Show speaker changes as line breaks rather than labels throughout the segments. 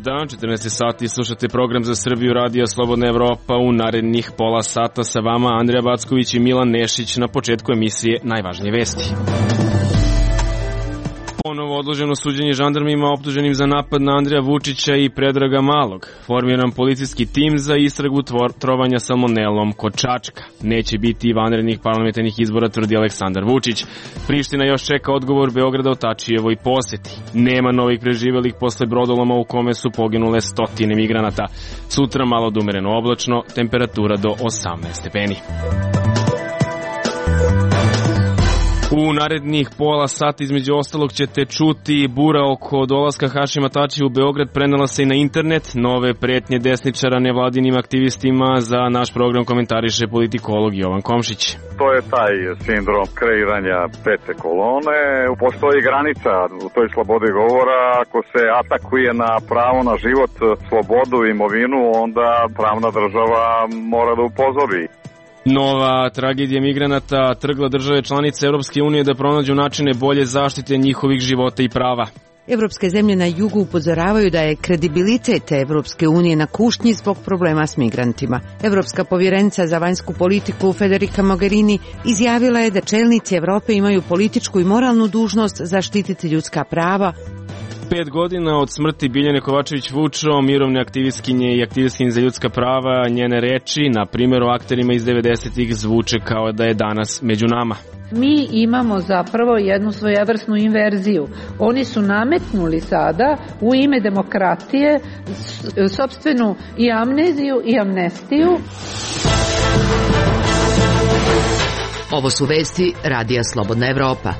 dan, 14 sati, slušate program za Srbiju, Radio Slobodna Evropa. U narednih pola sata sa vama Andrija Backović i Milan Nešić. Na početku emisije najvažnije vesti. Ponovo odloženo suđenje žandarmima optuženim za napad na Andreja Vučića i Predraga Malog. Formiran policijski tim za istragu trovanja salmonelom kod Čačka. Neće biti vanrednih parlamentarnih izbora, tvrdi Aleksandar Vučić. Priština još čeka odgovor Beograda o Tačijevoj poseti. Nema novih preživelih posle brodoloma u kome su poginule stotine migranata. Sutra malo da umereno oblačno, temperatura do 18 stepeni. U narednih pola sata između ostalog ćete čuti bura oko dolaska Hašima Tačija u Beograd prenela se i na internet, nove pretnje desničara nevladinim aktivistima. Za naš program komentariše politikolog Jovan Komšić.
To je taj sindrom kreiranja pete kolone. Postoji granica u toj slobodi govora. Ako se atakuje na pravo na život, slobodu i imovinu, onda pravna država mora da upozori.
Nova tragedija migranata trgla države članice Evropske unije da pronađu načine bolje zaštite njihovih života i prava.
Evropske zemlje na jugu upozoravaju da je kredibilitet Evropske unije na kušnji zbog problema s migrantima. Evropska povjerenica za vanjsku politiku Federica Mogherini izjavila je da čelnici Evrope imaju političku i moralnu dužnost zaštititi ljudska prava.
5 godina od smrti Biljane Kovačević-Vučo, mirovne aktivistkinje i aktivistkinje za ljudska prava, njene reči, na primjer o akterima iz 90-ih, zvuče kao da je danas među nama.
Mi imamo zapravo jednu svojevrsnu inverziju. Oni su nametnuli sada u ime demokratije sopstvenu i amneziju i amnestiju.
Ovo su vesti Radija Slobodna Evropa.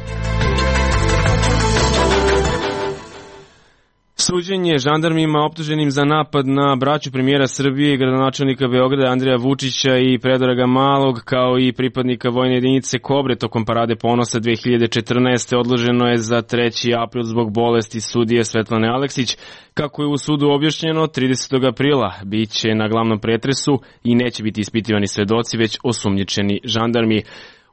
Suđenje žandarmima optuženim za napad na braću premijera Srbije i gradonačelnika Beograda Andreja Vučića i Predraga Malog, kao i pripadnika vojne jedinice Kobre tokom Parade ponosa 2014. odloženo je za 3. april zbog bolesti sudije Svetlane Aleksić. Kako je u sudu objašnjeno, 30. aprila biće na glavnom pretresu i neće biti ispitivani svedoci, već osumnjičeni žandarmi.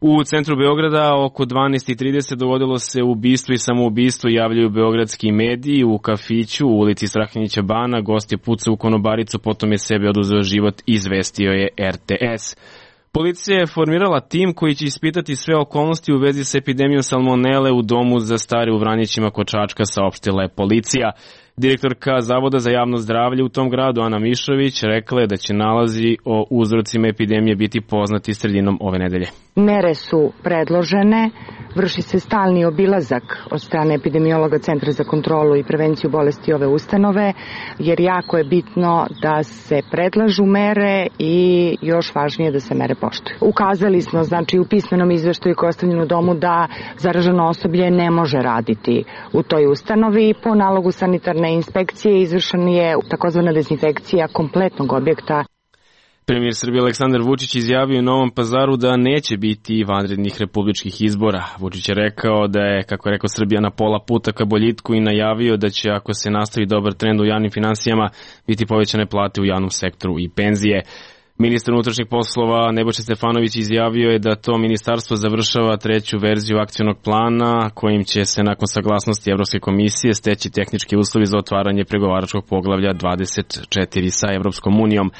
U centru Beograda oko 12:30 dogodilo se ubistvo i samoubistvo, javljaju beogradski mediji. U kafiću u ulici Strahinjića Bana gost je pucao u konobaricu, potom je sebi oduzeo život, izvestio je RTS. Policija je formirala tim koji će ispitati sve okolnosti u vezi s epidemijom salmonele u domu za stare u Vranjićima kod Čačka, saopštila je policija. Direktorka Zavoda za javno zdravlje u tom gradu, Ana Mišović, rekla je da će nalazi o uzrocima epidemije biti poznati sredinom ove nedelje.
Mere su predložene, vrši se stalni obilazak od strane epidemiologa Centra za kontrolu i prevenciju bolesti ove ustanove, jer jako je bitno da se predlažu mere i još važnije da se mere poštuju. Ukazali smo, znači, u pismenom izveštaju koji je ostavljen u domu da zaraženo osoblje ne može raditi u toj ustanovi. Po nalogu sanitarne inspekcije izvršena je takozvana dezinfekcija kompletnog objekta.
Premijer Srbije Aleksandar Vučić izjavio u Novom Pazaru da neće biti vanrednih republičkih izbora. Vučić je rekao da je, kako je rekao, Srbija na pola puta ka boljitku i najavio da će, ako se nastavi dobar trend u javnim finansijama, biti povećane plate u javnom sektoru i penzije. Ministar unutrašnjih poslova Nebojša Stefanović izjavio je da to ministarstvo završava 3. verziju akcionog plana kojim će se nakon saglasnosti Evropske komisije steći tehnički uslovi za otvaranje pregovaračkog poglavlja 24 sa Evropskom unijom.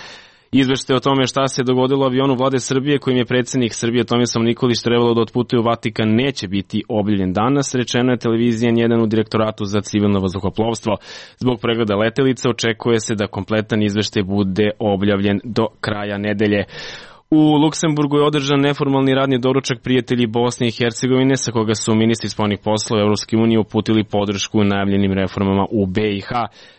Izveštaj o tome šta se dogodilo u avionu vlade Srbije kojim je predsjednik Srbije Tomislav Nikolić trebalo da otputuje u Vatikan neće biti objavljen danas, rečeno je televizija N1 u Direktoratu za civilno vazduhoplovstvo. Zbog pregleda letelica očekuje se da kompletan izveštaj bude objavljen do kraja nedelje. U Luksemburgu je održan neformalni radni doručak prijatelji Bosne i Hercegovine, sa koga su ministri spoljnih poslova Evropske unije uputili podršku najavljenim reformama u BiH.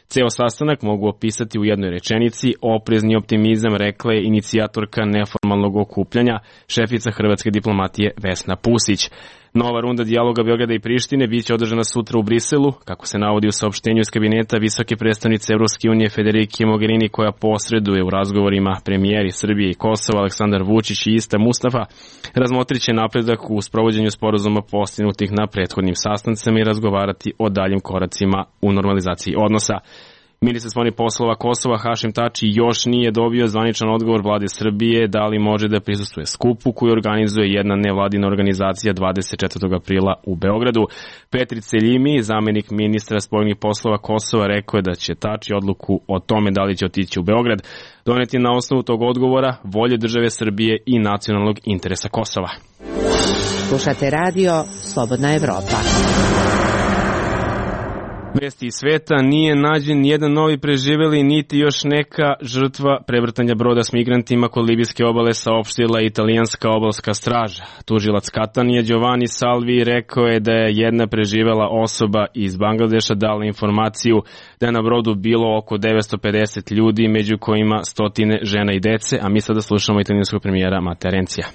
Ceo sastanak mogu opisati u jednoj rečenici: oprezni optimizam, rekla je inicijatorka neformalnog okupljanja, šefica hrvatske diplomatije Vesna Pusić. Nova runda dijaloga Beograda i Prištine biće održana sutra u Briselu, kako se navodi u saopštenju iz kabineta visoke predstavnice Evropske unije Federike Mogherini, koja posreduje u razgovorima. Premijeri Srbije i Kosova Aleksandar Vučić i Ista Mustafa razmotriće napredak u sprovođenju sporazuma postignutih na prethodnim sastancima i razgovarati o daljim koracima u normalizaciji odnosa. Ministar spoljnih poslova Kosova Hašim Tači još nije dobio zvaničan odgovor vlade Srbije da li može da prisustvuje skupu koju organizuje jedna nevladina organizacija 24. aprila u Beogradu. Petri Celjimi, zamenik ministra spoljnih poslova Kosova, rekao je da će Tači odluku o tome da li će otići u Beograd doneti na osnovu tog odgovora, volje države Srbije i nacionalnog interesa Kosova.
Slušate radio Slobodna Evropa.
Vesti iz sveta, nije nađen nijedan novi preživeli niti još neka žrtva prevrtanja broda s migrantima kod libijske obale, saopštila italijanska obalska straža. Tužilac Katanije Giovanni Salvi rekao je da je jedna preživela osoba iz Bangladeša dala informaciju da je na brodu bilo oko 950 ljudi, među kojima stotine žena i dece, a mi sada slušamo italijanskog premijera Matteo Renzija.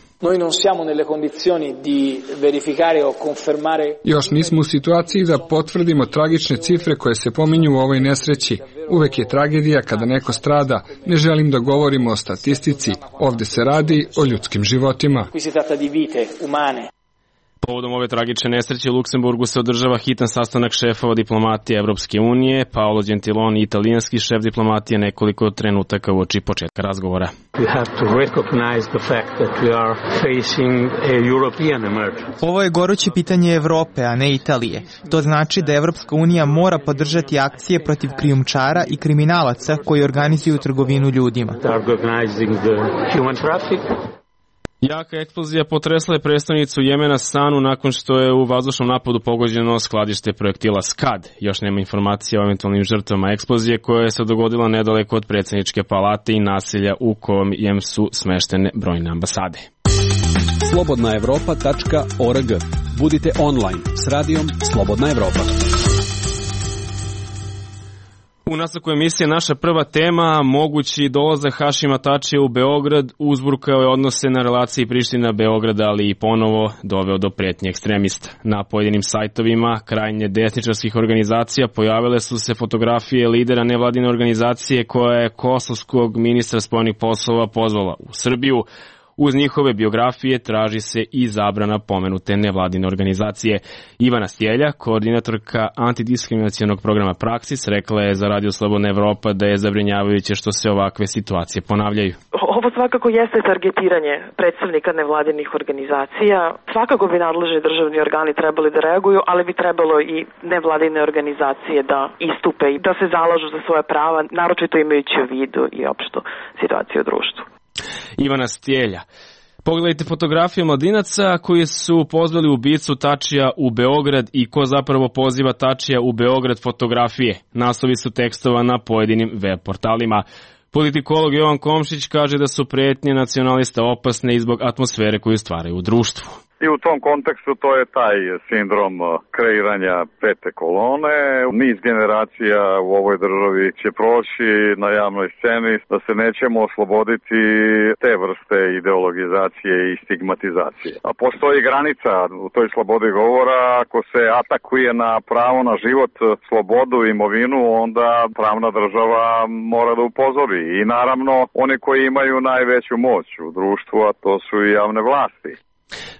Još nismo u situaciji da potvrdimo tragične cifre koje se pominju u ovoj nesreći. Uvek je tragedija kada neko strada. Ne želim da govorimo o statistici. Ovde se radi o ljudskim životima.
Povodom ove tragične nesreće u Luksemburgu se održava hitan sastanak šefova diplomatije Evropske unije. Paolo Gentiloni, italijanski šef diplomatije, nekoliko trenutaka uoči početka razgovora.
Ovo je goruće pitanje Evrope, a ne Italije. To znači da Evropska unija mora podržati akcije protiv krijumčara i kriminalaca koji organizuju trgovinu ljudima.
Jaka eksplozija potresla je prestonicu Jemena Sanu nakon što je u vazdušnom napadu pogođeno skladište projektila Skad. Još nema informacija o eventualnim žrtvama eksplozije koja se dogodila nedaleko od predsjedničke palate i naselja u kojem su smeštene brojne ambasade.
slobodnaevropa.org. Budite online s radijom Slobodna Evropa.
U nastavku emisije naša prva tema, mogući dolazak Hašima Tačija u Beograd, uzburkao je odnose na relaciji Priština-Beograda, ali i ponovo doveo do pretnje ekstremista. Na pojedinim sajtovima krajnje desničarskih organizacija pojavile su se fotografije lidera nevladine organizacije koja je kosovskog ministra spoljnih poslova pozvala u Srbiju. Uz njihove biografije traži se i zabrana pomenute nevladine organizacije. Ivana Stjelja, koordinatorka antidiskriminacionog programa Praksis, rekla je za Radio Slobodna Evropa da je zabrinjavajuće što se ovakve situacije ponavljaju.
Ovo svakako jeste targetiranje predstavnika nevladinih organizacija. Svakako bi nadležni državni organi trebali da reaguju, ali bi trebalo i nevladine organizacije da istupe i da se zalažu za svoje prava, naročito imajući u vidu i opštu situaciju u društvu.
Ivana Stjelja. Pogledajte fotografije mladinaca koji su pozvali ubicu Tačija u Beograd i ko zapravo poziva Tačija u Beograd fotografije. Naslovi su tekstova na pojedinim web portalima. Politikolog Jovan Komšić kaže da su pretnje nacionalista opasne i zbog atmosfere koju stvaraju u društvu.
I u tom kontekstu to je taj sindrom kreiranja pete kolone. Niz generacija u ovoj državi će proći na javnoj sceni da se nećemo osloboditi te vrste ideologizacije i stigmatizacije. A postoji granica u toj slobodi govora. Ako se atakuje na pravo na život, slobodu i imovinu, onda pravna država mora da upozori. I naravno, oni koji imaju najveću moć u društvu, a to su i javne vlasti.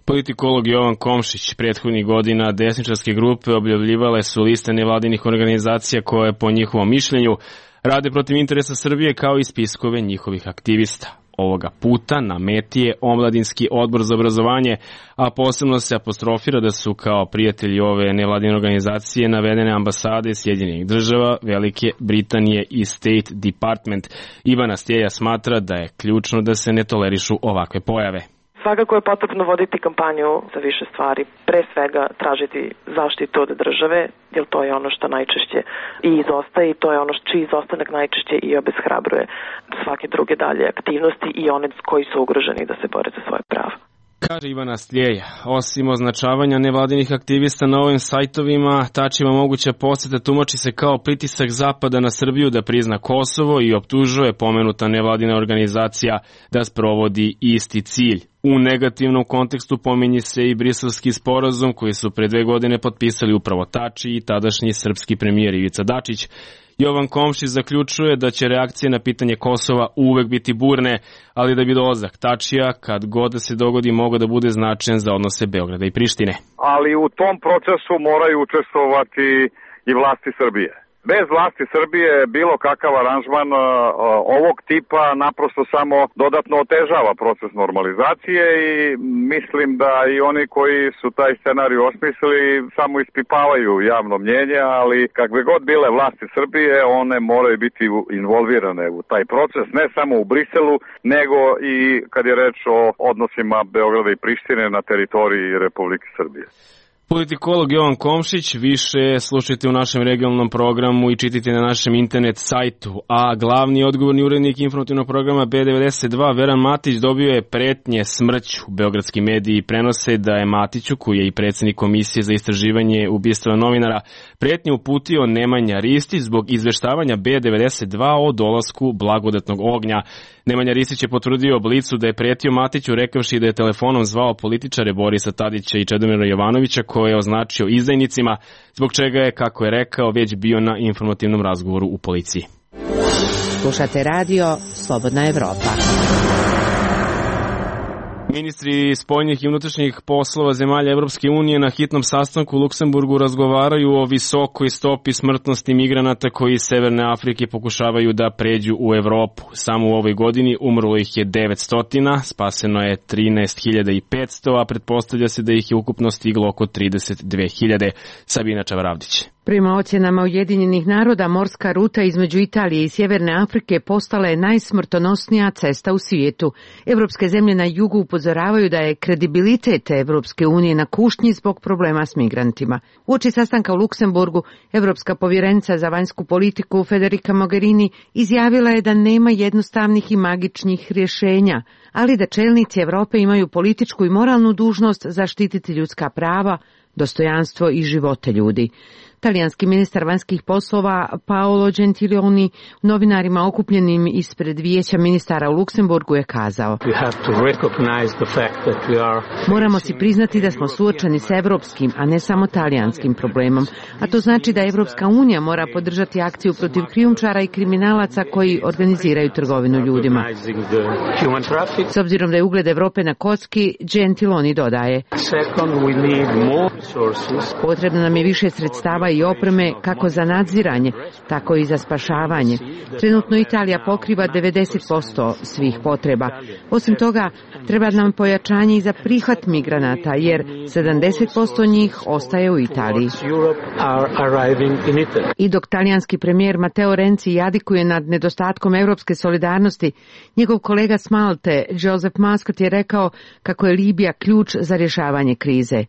Politikolog Jovan Komšić, prethodnih godina desničarske grupe objavljivale su liste nevladinih organizacija koje po njihovom mišljenju rade protiv interesa Srbije kao i spiskove njihovih aktivista. Ovoga puta na meti je Omladinski odbor za obrazovanje, a posebno se apostrofira da su kao prijatelji ove nevladine organizacije navedene ambasade Sjedinjenih država, Velike Britanije i State Department. Ivana Stjelja smatra da je ključno da se ne tolerišu ovakve pojave.
Svakako je potrebno voditi kampanju za više stvari. Pre svega tražiti zaštitu od države, jer to je ono što najčešće i izostaje i to je ono čiji izostanak najčešće i obeshrabruje svake druge dalje aktivnosti i one koji su ugroženi da se bore za svoje prava.
Kaže Ivana Stjelja, osim označavanja nevladinih aktivista na ovim sajtovima, Tačijeva moguća poseta tumači se kao pritisak Zapada na Srbiju da prizna Kosovo i optužuje pomenuta nevladina organizacija da sprovodi isti cilj. U negativnom kontekstu pominje se i Briselski sporazum koji su pre 2 godine potpisali upravo Tači i tadašnji srpski premijer Ivica Dačić. Jovan Komšić zaključuje da će reakcije na pitanje Kosova uvek biti burne, ali da bi dolazak Tačija, kad god da se dogodi, mogao da bude značajan za odnose Beograda i Prištine.
Ali u tom procesu moraju učestvovati i vlasti Srbije. Bez vlasti Srbije bilo kakav aranžman ovog tipa naprosto samo dodatno otežava proces normalizacije i mislim da i oni koji su taj scenarij osmislili samo ispipavaju javno mnjenje, ali kakve god bile vlasti Srbije, one moraju biti involvirane u taj proces, ne samo u Briselu, nego i kad je reč o odnosima Beograda i Prištine na teritoriji Republike Srbije.
Politikolog Jovan Komšić, više slušajte u našem regionalnom programu i čitajte na našem internet sajtu. A glavni odgovorni urednik informativnog programa B92, Veran Matić, dobio je pretnje smrću. Beogradski mediji prenose da je Matiću, koji je i predsjednik Komisije za istraživanje ubistva novinara, pretnje uputio Nemanja Ristić zbog izveštavanja B92 o dolasku blagodatnog ognja. Nemanja Ristić je potvrdio Blicu da je pretio Matiću rekavši da je telefonom zvao političare Borisa Tadića i Čedomira Jovanovića, koje je označio izdajnicima, zbog čega je, kako je rekao, već bio na informativnom razgovoru u policiji.
Slušate radio Slobodna Evropa.
Ministri spoljnih i unutrašnjih poslova zemalja Evropske unije na hitnom sastanku u Luksemburgu razgovaraju o visokoj stopi smrtnosti migranata koji iz Severne Afrike pokušavaju da pređu u Evropu. Samo u ovoj godini umrlo ih je 900, spaseno je 13.500, a pretpostavlja se da ih je ukupno stiglo oko 32.000. Sabina Čavaravdić.
Prema ocjenama Ujedinjenih naroda, morska ruta između Italije i Sjeverne Afrike postala je najsmrtonosnija cesta u svijetu. Evropske zemlje na jugu upozoravaju da je kredibilitet Evropske unije na kušnji zbog problema s migrantima. Uoči sastanka u Luksemburgu, Evropska povjerenica za vanjsku politiku Federica Mogherini izjavila je da nema jednostavnih i magičnih rješenja, ali da čelnici Evrope imaju političku i moralnu dužnost zaštititi ljudska prava, dostojanstvo i živote ljudi. Talijanski ministar vanjskih poslova Paolo Gentiloni novinarima okupljenim ispred vijeća ministara u Luksemburgu je kazao: moramo si priznati da smo suočeni s evropskim, a ne samo talijanskim problemom, a to znači da Evropska unija mora podržati akciju protiv krijumčara i kriminalaca koji organiziraju trgovinu ljudima. S obzirom da je ugled Evrope na kocki, Gentiloni dodaje: potrebno nam je više sredstava i opreme kako za nadziranje, tako i za spašavanje. Trenutno Italija pokriva 90% svih potreba. Osim toga, treba nam pojačanje i za prihvat migranata, jer 70% njih ostaje u Italiji. I dok talijanski premijer Matteo Renzi jadikuje nad nedostatkom evropske solidarnosti, njegov kolega s Malte, Joseph Muscat, je rekao kako je Libija ključ za rješavanje krize.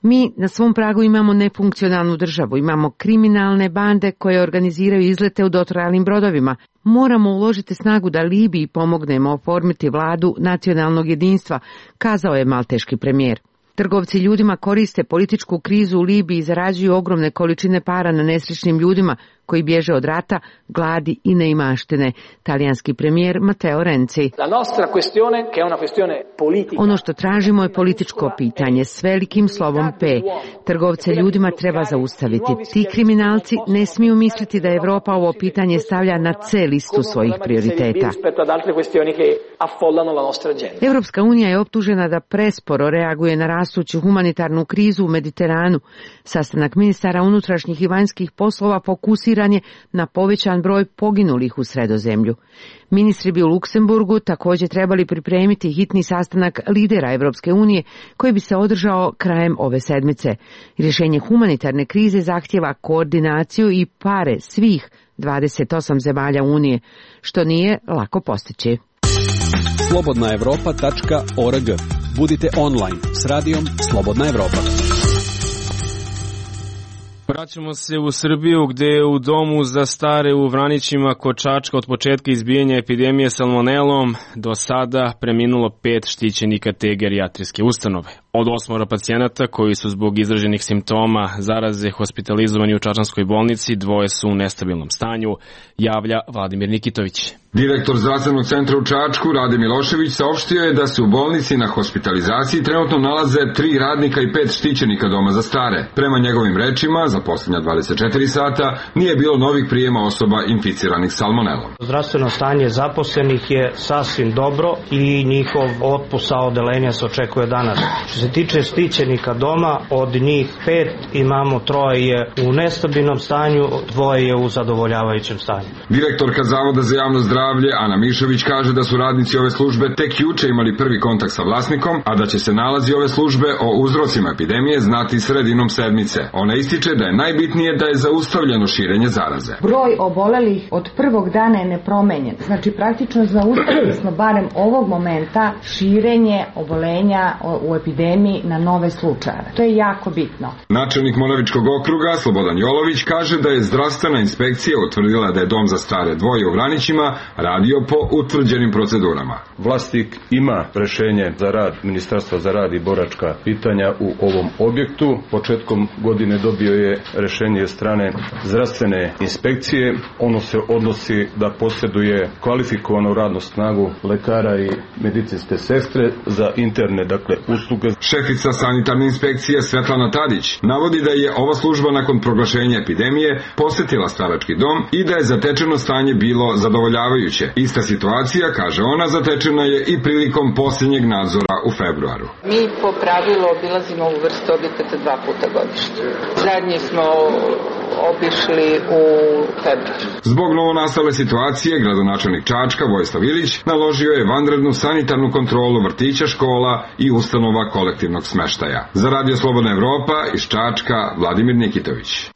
Mi na svom pragu imamo nefunkcionalnu državu, imamo kriminalne bande koje organiziraju izlete u dotrajalnim brodovima. Moramo uložiti snagu da Libiji pomognemo oformiti vladu nacionalnog jedinstva, kazao je malteški premijer. Trgovci ljudima koriste političku krizu u Libiji i zarađuju ogromne količine para na nesrećnim ljudima koji bježe od rata, gladi i neimaštine. Talijanski premijer Matteo Renzi. Ono što tražimo je političko pitanje s velikim slovom P. Trgovce ljudima treba zaustaviti. Ti kriminalci ne smiju misliti da Evropa ovo pitanje stavlja na C listu svojih prioriteta. Evropska unija je optužena da presporo reaguje na rastuću humanitarnu krizu u Mediteranu. Sastanak ministara unutrašnjih i vanjskih poslova fokusiran je na povećan broj poginulih u Sredozemlju. Ministri bi u Luksemburgu također trebali pripremiti hitni sastanak lidera Evropske unije koji bi se održao krajem ove sedmice. Rješenje humanitarne krize zahtjeva koordinaciju i pare svih 28 zemalja Unije, što nije lako postići.
slobodnaevropa.org. Budite online s radijom Slobodna Evropa.
Vraćamo se u Srbiju, gde je u domu za stare u Vranićima kod Čačka od početka izbijanja epidemije salmonelom do sada preminulo 5 štićenika te gerijatrijske ustanove. Od 8 pacijenata koji su zbog izraženih simptoma zaraze hospitalizovani u čačanskoj bolnici, 2 su u nestabilnom stanju, javlja Vladimir Nikitović.
Direktor zdravstvenog centra u Čačku, Rade Milošević, saopštio je da se u bolnici na hospitalizaciji trenutno nalaze 3 radnika i 5 štićenika doma za stare. Prema njegovim rečima, za posljednja 24 sata nije bilo novih prijema osoba inficiranih salmonelom.
Zdravstveno stanje zaposlenih je sasvim dobro i njihov otpust sa odelenja se očekuje danas. Što se se tiče štićenika doma, od njih 5 imamo 3 u nestabilnom stanju, 2 je u zadovoljavajućem stanju.
Direktorka Zavoda za javno zdravlje Ana Mišović kaže da su radnici ove službe tek juče imali prvi kontakt sa vlasnikom, a da će se nalazi ove službe o uzrocima epidemije znati sredinom sedmice. Ona ističe da je najbitnije da je zaustavljeno širenje zaraze.
Broj obolelih od prvog dana je nepromenjen. Znači praktično zaustavili smo barem ovog momenta širenje obolenja u epidemiji na nove slučajeve. To je jako bitno.
Načelnik Moravičkog okruga Slobodan Jolović kaže da je zdravstvena inspekcija utvrdila da je dom za stare Dvoje u Vranićima radio po utvrđenim procedurama.
Vlasnik ima rešenje za rad Ministarstva za rad i boračka pitanja u ovom objektu. Početkom godine dobio je rešenje strane zdravstvene inspekcije. Ono se odnosi da posjeduje kvalifikovanu radnu snagu lekara i medicinske sestre za interne usluge.
Šefica sanitarne inspekcije Svetlana Tadić navodi da je ova služba nakon proglašenja epidemije posetila starački dom i da je zatečeno stanje bilo zadovoljavajuće. Ista situacija, kaže ona, zatečena je i prilikom posljednjeg nadzora u februaru.
Mi po pravilu obilazimo ovu vrstu objekata 2 puta godišnje. Zadnji smo obišli u februaru.
Zbog novonastale situacije, gradonačelnik Čačka Vojislav Ilić naložio je vanrednu sanitarnu kontrolu vrtića, škola i ustanova kolektivnog smeštaja. Za Radio Slobodna Evropa iz Čačka, Vladimir Nikitović.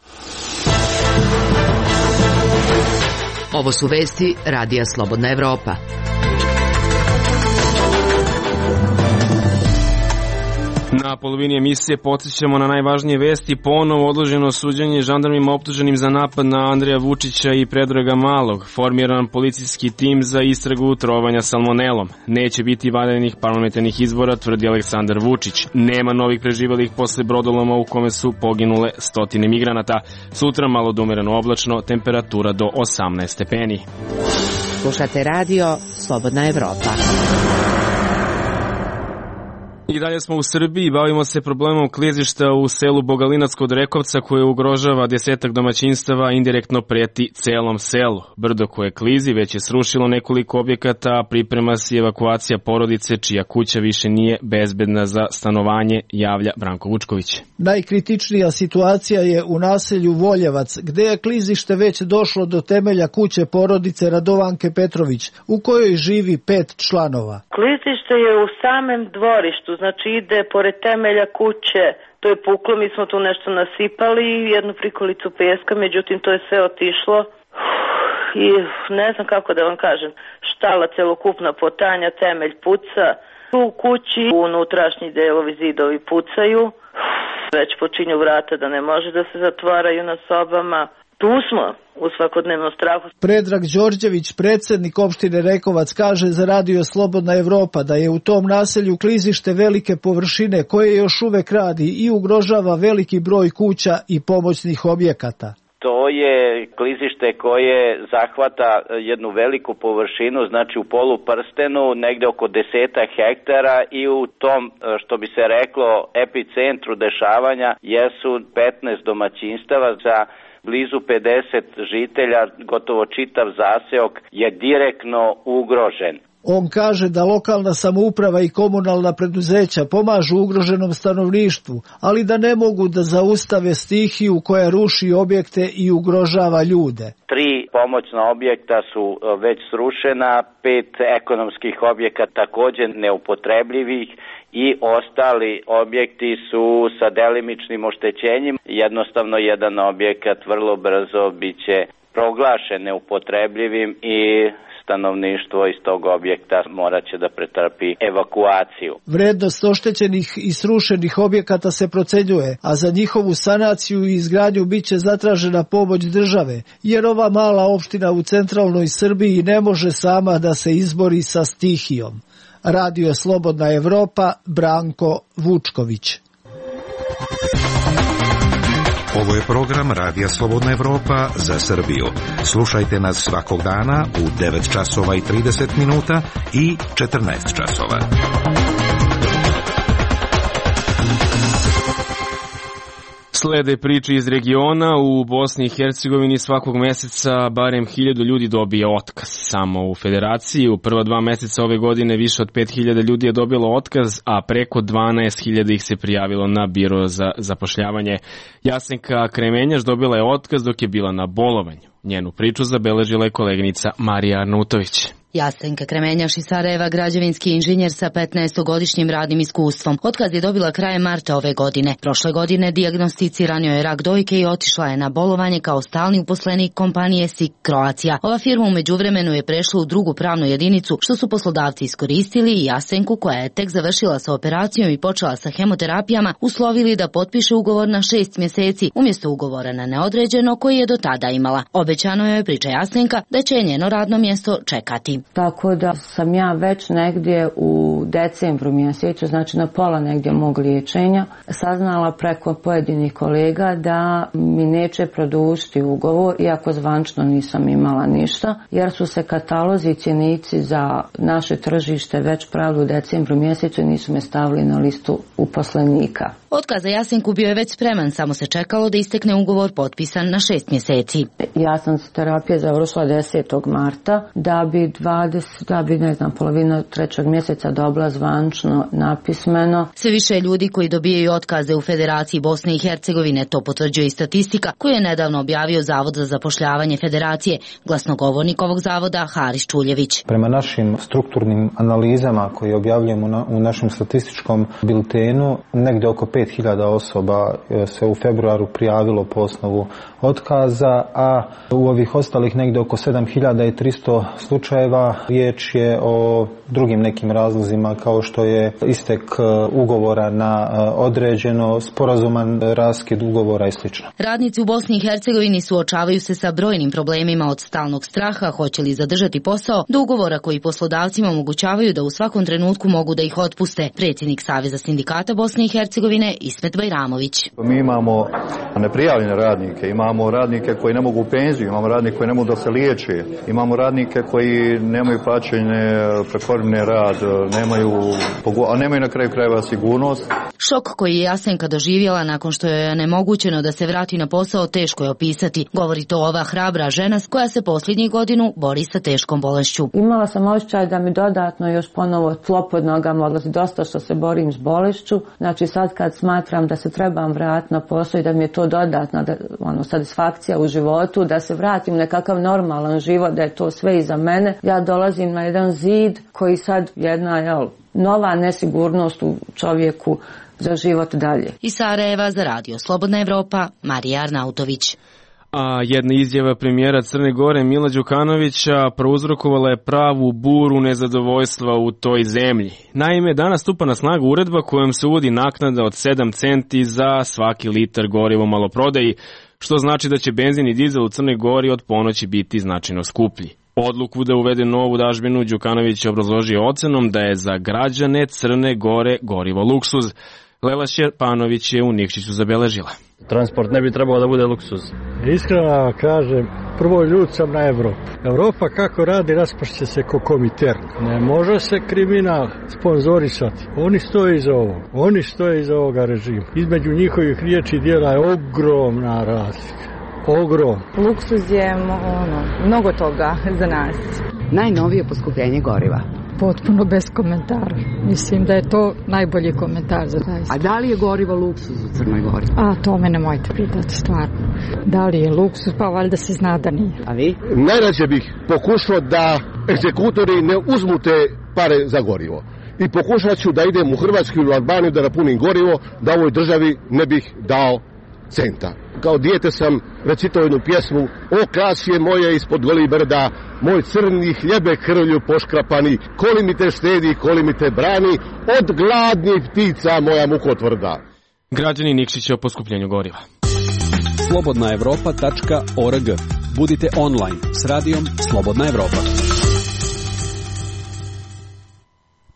Ovo su vesti Radija Slobodna Evropa.
Na polovini emisije podsjećamo na najvažnije vesti. Ponovo odloženo suđenje žandarmima optuženim za napad na Andreja Vučića i Predraga Malog. Formiran policijski tim za istragu trovanja salmonelom. Neće biti vanrednih parlamentarnih izbora, tvrdi Aleksandar Vučić. Nema novih preživalih posle brodoloma u kome su poginule stotine migranata. Sutra malo da umereno oblačno, temperatura do 18 stepeni.
Slušate radio Slobodna Evropa.
I dalje smo u Srbiji, bavimo se problemom klizišta u selu Bogalinac kod Rekovca koje ugrožava 10 domaćinstava, indirektno preti celom selu. Brdo koje klizi već je srušilo nekoliko objekata, a priprema se evakuacija porodice čija kuća više nije bezbedna za stanovanje, javlja Branko Vučković.
Najkritičnija situacija je u naselju Voljevac, gde je klizište već došlo do temelja kuće porodice Radovanke Petrović, u kojoj živi 5 članova.
Klizište je u samem dvorištu, znači ide pored temelja kuće, to je puklo, mi smo tu nešto nasipali, jednu prikolicu peska, međutim to je sve otišlo i ne znam kako da vam kažem, štala celokupna potanja, temelj puca, u kući unutrašnji delovi zidovi pucaju, već počinju vrata da ne može da se zatvaraju na sobama. Tu smo u svakodnevnom strahu.
Predrag Đorđević, predsjednik opštine Rekovac, kaže za Radio Slobodna Evropa da je u tom naselju klizište velike površine koje još uvek radi i ugrožava veliki broj kuća i pomoćnih objekata.
To je klizište koje zahvata jednu veliku površinu, znači u poluprstenu, negde oko 10 hektara i u tom, što bi se reklo, epicentru dešavanja jesu 15 domaćinstava za blizu 50 žitelja, gotovo čitav zaseok je direktno ugrožen.
On kaže da lokalna samouprava i komunalna preduzeća pomažu ugroženom stanovništvu, ali da ne mogu da zaustave stihiju koja ruši objekte i ugrožava ljude.
3 pomoćna objekta su već srušena, 5 ekonomskih objekata također neupotrebljivih i ostali objekti su sa delimičnim oštećenjem. Jednostavno jedan objekat vrlo brzo biće proglašen neupotrebljivim i stanovništvo iz tog objekta morat će da pretrpi evakuaciju.
Vrednost oštećenih i srušenih objekata se procenjuje, a za njihovu sanaciju i izgradnju biće zatražena pomoć države, jer ova mala opština u centralnoj Srbiji ne može sama da se izbori sa stihijom. Radio Slobodna Evropa, Branko Vučković.
Ovo je program Radija Slobodna Evropa za Srbiju. Slušajte nas svakog dana u 9 časova i 30 minuta i 14 časova.
Slede priče iz regiona. U Bosni i Hercegovini svakog meseca barem 1000 ljudi dobije otkaz. Samo u federaciji u prva 2 meseca ove godine više od 5000 ljudi je dobilo otkaz, a preko 12.000 ih se prijavilo na biro za zapošljavanje. Jasenka Kremenjaš dobila je otkaz dok je bila na bolovanju. Njenu priču zabeležila je koleginica Marija Arnautović.
Jasenka Kremenjaš iz Sarajeva, građevinski inženjer sa 15-godišnjim radnim iskustvom. Otkaz je dobila krajem marta ove godine. Prošle godine dijagnosticiranio je rak dojke i otišla je na bolovanje kao stalni uposlenik kompanije SIK Croatia. Ova firma u međuvremenu je prešla u drugu pravnu jedinicu, što su poslodavci iskoristili i Jasenku, koja je tek završila sa operacijom i počela sa hemoterapijama, uslovili da potpiše ugovor na 6 mjeseci umjesto ugovora na neodređeno koji je do tada imala. Obećano je, priča Jasenka, da će njeno radno mjesto čekati.
Tako da sam ja već negdje u decembru mjesecu, znači na pola negdje mog liječenja, saznala preko pojedinih kolega da mi neće produžiti ugovor, iako zvančno nisam imala ništa, jer su se katalozi i cjenici za naše tržište već pravili u decembru mjesecu i nisu me stavili na listu uposlenika.
Otkaz za Jasenku bio je već spreman, samo se čekalo da istekne ugovor potpisan na 6 mjeseci.
Ja sam terapije završila 10. marta, da bi polovina 3. mjeseca dobila zvančno napismeno.
Sve više ljudi koji dobijaju otkaze u Federaciji Bosne i Hercegovine, to potvrđuje i statistika koju je nedavno objavio Zavod za zapošljavanje Federacije, glasnogovornik ovog zavoda Haris Čuljević.
Prema našim strukturnim analizama koje objavljujemo u našem statističkom biltenu, negdje oko 5000 osoba se u februaru prijavilo po osnovu otkaza, a u ovih ostalih negdje oko 7300 slučajeva riječ je o drugim nekim razlozima kao što je istek ugovora na određeno, sporazuman raskid ugovora i sl.
Radnici u Bosni i Hercegovini suočavaju se sa brojnim problemima, od stalnog straha hoće li zadržati posao do ugovora koji poslodavcima omogućavaju da u svakom trenutku mogu da ih otpuste. Predsjednik Saveza sindikata Bosne i Hercegovine Ismet Bajramović.
Mi imamo neprijavljene radnike, imamo radnike koji ne mogu u penziju, imamo radnike koji ne mogu da se liječe, imamo radnike koji nemaju plaćene prekovremeni rad, nemaju na kraju krajeva sigurnost.
Šok koji je Jasenka doživjela nakon što je onemogućeno da se vrati na posao teško je opisati. Govori to ova hrabra žena koja se posljednjih godinu bori sa teškom bolešću.
Imala sam osjećaj da mi dodatno još ponovo tlo pod nogama odlazi, dosta što se borim s bolešću. Znači sad kad smatram da se trebam vratiti na posao i da mi je to dodatna satisfakcija u životu, da se vratim u nekakav normalan život, da je to sve iza mene, ja dolazim na jedan zid koji sad jedna nova nesigurnost u čovjeku za život dalje.
Iz Sarajeva za Radio Slobodna Evropa, Marija Arnautović.
A jedna izjava premijera Crne Gore Mila Đukanovića prouzrokovala je pravu buru nezadovoljstva u toj zemlji. Naime, danas stupa na snagu uredba kojom se uvodi naknada od 7 centi za svaki litar goriva u maloprodaji, što znači da će benzin i dizel u Crnoj Gori od ponoći biti značajno skuplji. Odluku da uvede novu dažbinu Đukanović obrazložio ocenom da je za građane Crne Gore gorivo luksuz. Lela Šerpanović je u Nikšiću zabeležila.
Transport ne bi trebao da bude luksuz.
Iskreno kažem, prvo ljud sam na Evropu. Evropa kako radi raspašće se ko Komintern. Ne može se kriminal sponzorisati. Oni stoje iza ovog. Oni stoje iza ovoga režima. Između njihovih riječi i djela je ogromna razlika. Ogrom.
Luksuz je mnogo toga za nas.
Najnovije poskupljenje goriva.
Potpuno bez komentara. Mislim da je to najbolji komentar za taj.
A da li je gorivo luksuz u Crnoj Gori?
A to me nemojte pitati, stvarno. Da li je luksuz, pa valjda se zna da nije.
A vi?
Najrađe bih pokušao da egzekutori ne uzmu te pare za gorivo. I pokušat ću da idem u Hrvatsku ili u Albaniju da napunim gorivo, da ovoj državi ne bih dao centa. Kao dijete sam recitao jednu pjesmu: o klasje moje ispod golih brda, moj crni hljebe krvlju poškrapani, koli mi te štedi, koli mi te brani, od gladnih ptica moja mukotvrda.
Građani Nikšića o poskupljenju goriva.
slobodnaevropa.org. Budite online s radijom Slobodna Evropa.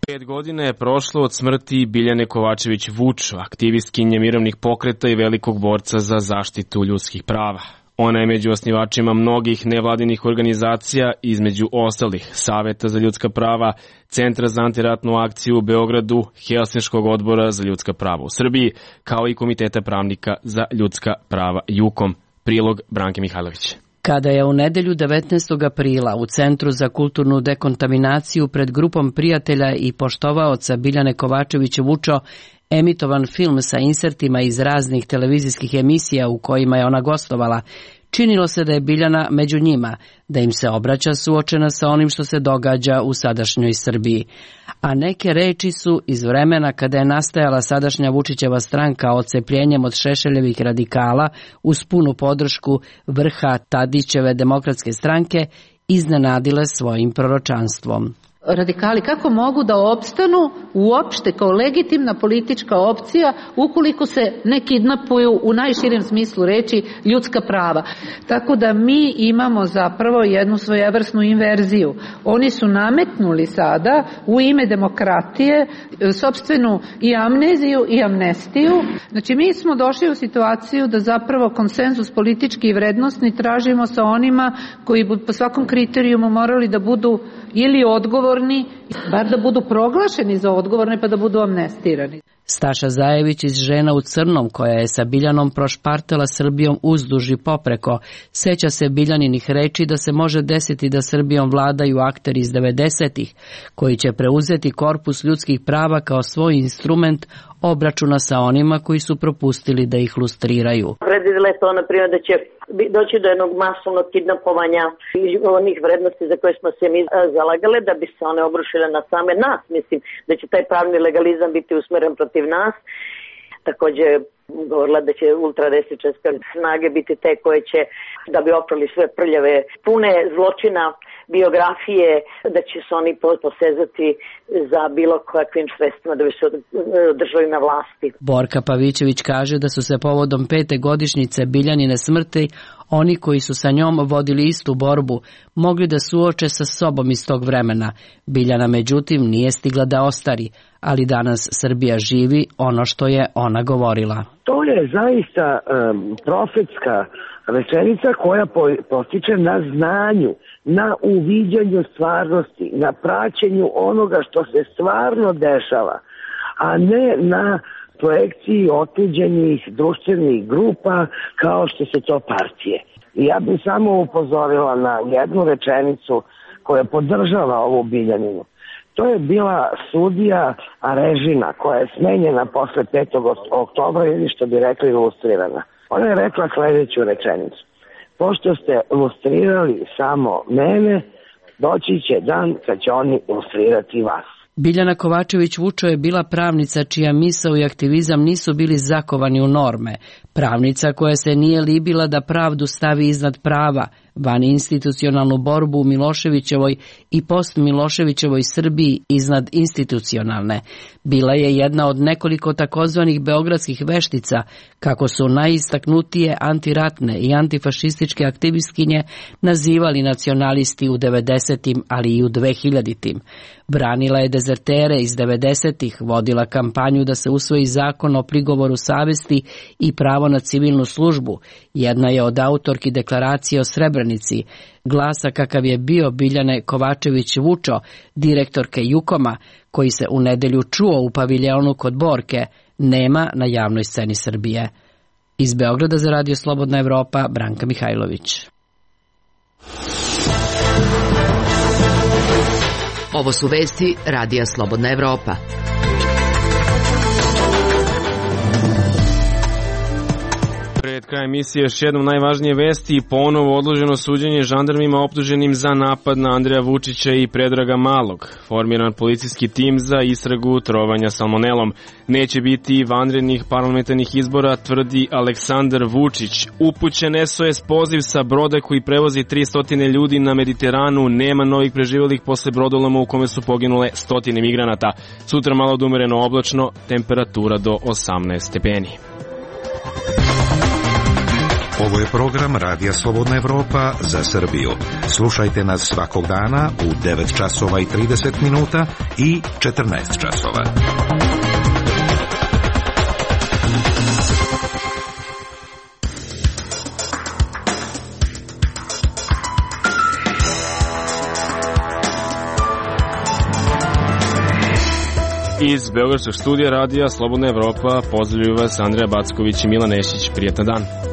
5 godina je prošlo od smrti Biljane Kovačević-Vučo, aktivistkinje mirovnih pokreta i velikog borca za zaštitu ljudskih prava. Ona je među osnivačima mnogih nevladinih organizacija, između ostalih Saveta za ljudska prava, Centra za antiratnu akciju u Beogradu, Helsinškog odbora za ljudska prava u Srbiji, kao i Komiteta pravnika za ljudska prava JUKOM. Prilog Branke Mihajlović.
Kada je u nedelju 19. aprila u Centru za kulturnu dekontaminaciju pred grupom prijatelja i poštovaoca Biljane Kovačević Vučo emitovan film sa insertima iz raznih televizijskih emisija u kojima je ona gostovala, činilo se da je Biljana među njima, da im se obraća suočena sa onim što se događa u sadašnjoj Srbiji. A neke reči su iz vremena kada je nastajala sadašnja Vučićeva stranka odcepljenjem od Šešeljevih radikala uz punu podršku vrha Tadićeve demokratske stranke iznenadile svojim proročanstvom.
Radikali kako mogu da opstanu uopšte kao legitimna politička opcija ukoliko se ne kidnapuju u najširem smislu reči ljudska prava. Tako da mi imamo zapravo jednu svojevrsnu inverziju. Oni su nametnuli sada u ime demokratije sopstvenu i amneziju i amnestiju. Znači mi smo došli u situaciju da zapravo konsenzus politički i vrednostni tražimo sa onima koji bi po svakom kriterijumu morali da budu ili odgovorni, bar da budu proglašeni za odgovorne pa da budu amnestirani.
Staša Zajević iz Žena u crnom, koja je sa Biljanom prošpartala Srbijom uzduž i popreko, seća se Biljaninih reči da se može desiti da Srbijom vladaju akteri iz 90-ih, koji će preuzeti korpus ljudskih prava kao svoj instrument obračuna sa onima koji su propustili da ih lustriraju.
Predvidela je to, na primjer, da će doći do jednog masovnog kidnapovanja onih vrednosti za koje smo se mi zalagale, da bi se one obrušile na same nas. Mislim da će taj pravni legalizam biti usmeren protiv nas. Takođe govorila da će ultradesničarske snage biti te koje će, da bi oprali sve prljave, pune zločina, biografije, da će se oni posezati za bilo kakvim sredstvima da bi se održali na vlasti.
Borka Pavićević kaže da su se povodom 5. godišnjice Biljanine smrti oni koji su sa njom vodili istu borbu mogli da suoče sa sobom iz tog vremena. Biljana međutim nije stigla da ostari, ali danas Srbija živi ono što je ona govorila.
To je zaista profetska rečenica koja postiče na znanju, na uviđanju stvarnosti, na praćenju onoga što se stvarno dešava, a ne na projekciji otuđenih društvenih grupa kao što su to partije. I ja bih samo upozorila na jednu rečenicu koja podržava ovu Biljaninu. To je bila sudija Arežina koja je smenjena posle 5. oktobra ili što bi rekli lustrirana. Ona je rekla sledeću rečenicu. Pošto ste lustrirali samo mene, doći će dan kad će oni lustrirati vas.
Biljana Kovačević Vučo je bila pravnica čija misao i aktivizam nisu bili zakovani u norme. Pravnica koja se nije libila da pravdu stavi iznad prava, van institucionalnu borbu u Miloševićevoj i post-Miloševićevoj Srbiji iznad institucionalne. Bila je jedna od nekoliko takozvanih beogradskih veštica, kako su najistaknutije antiratne i antifašističke aktivistkinje nazivali nacionalisti u 90-im, ali i u 2000-im. Branila je dezertere iz 90-ih, vodila kampanju da se usvoji zakon o prigovoru savesti i pravo na civilnu službu. Jedna je od autorki deklaracije o Srebrenici, glasa kakav je bio Biljane Kovačević Vučo, direktorke JUKOM-a, koji se u nedelju čuo u paviljonu kod Borke, nema na javnoj sceni Srbije. Iz Beograda za Radio Slobodna Evropa, Branka Mihajlović.
Ovo su vesti Radija Slobodna Evropa.
Pred krajem emisije još jednom najvažnije vesti i ponovo odloženo suđenje žandarmima optuženim za napad na Andreja Vučića i Predraga Malog. Formiran policijski tim za istragu trovanja salmonelom. Neće biti vanrednih parlamentarnih izbora, tvrdi Aleksandar Vučić. Upućen SOS poziv sa broda koji prevozi 300 ljudi na Mediteranu. Nema novih preživelih posle brodoloma u kome su poginule 100 migranata. Sutra malo odumereno oblačno, temperatura do 18 stepeni.
Ovo je program Radija Slobodna Evropa za Srbiju. Slušajte nas svakog dana u 9 časova i 30 minuta i 14 časova.
Iz Beogradskog studija radija Slobodna Evropa pozdravljaju vas Andreja Backović i Milan Nešić. Prijetan dan.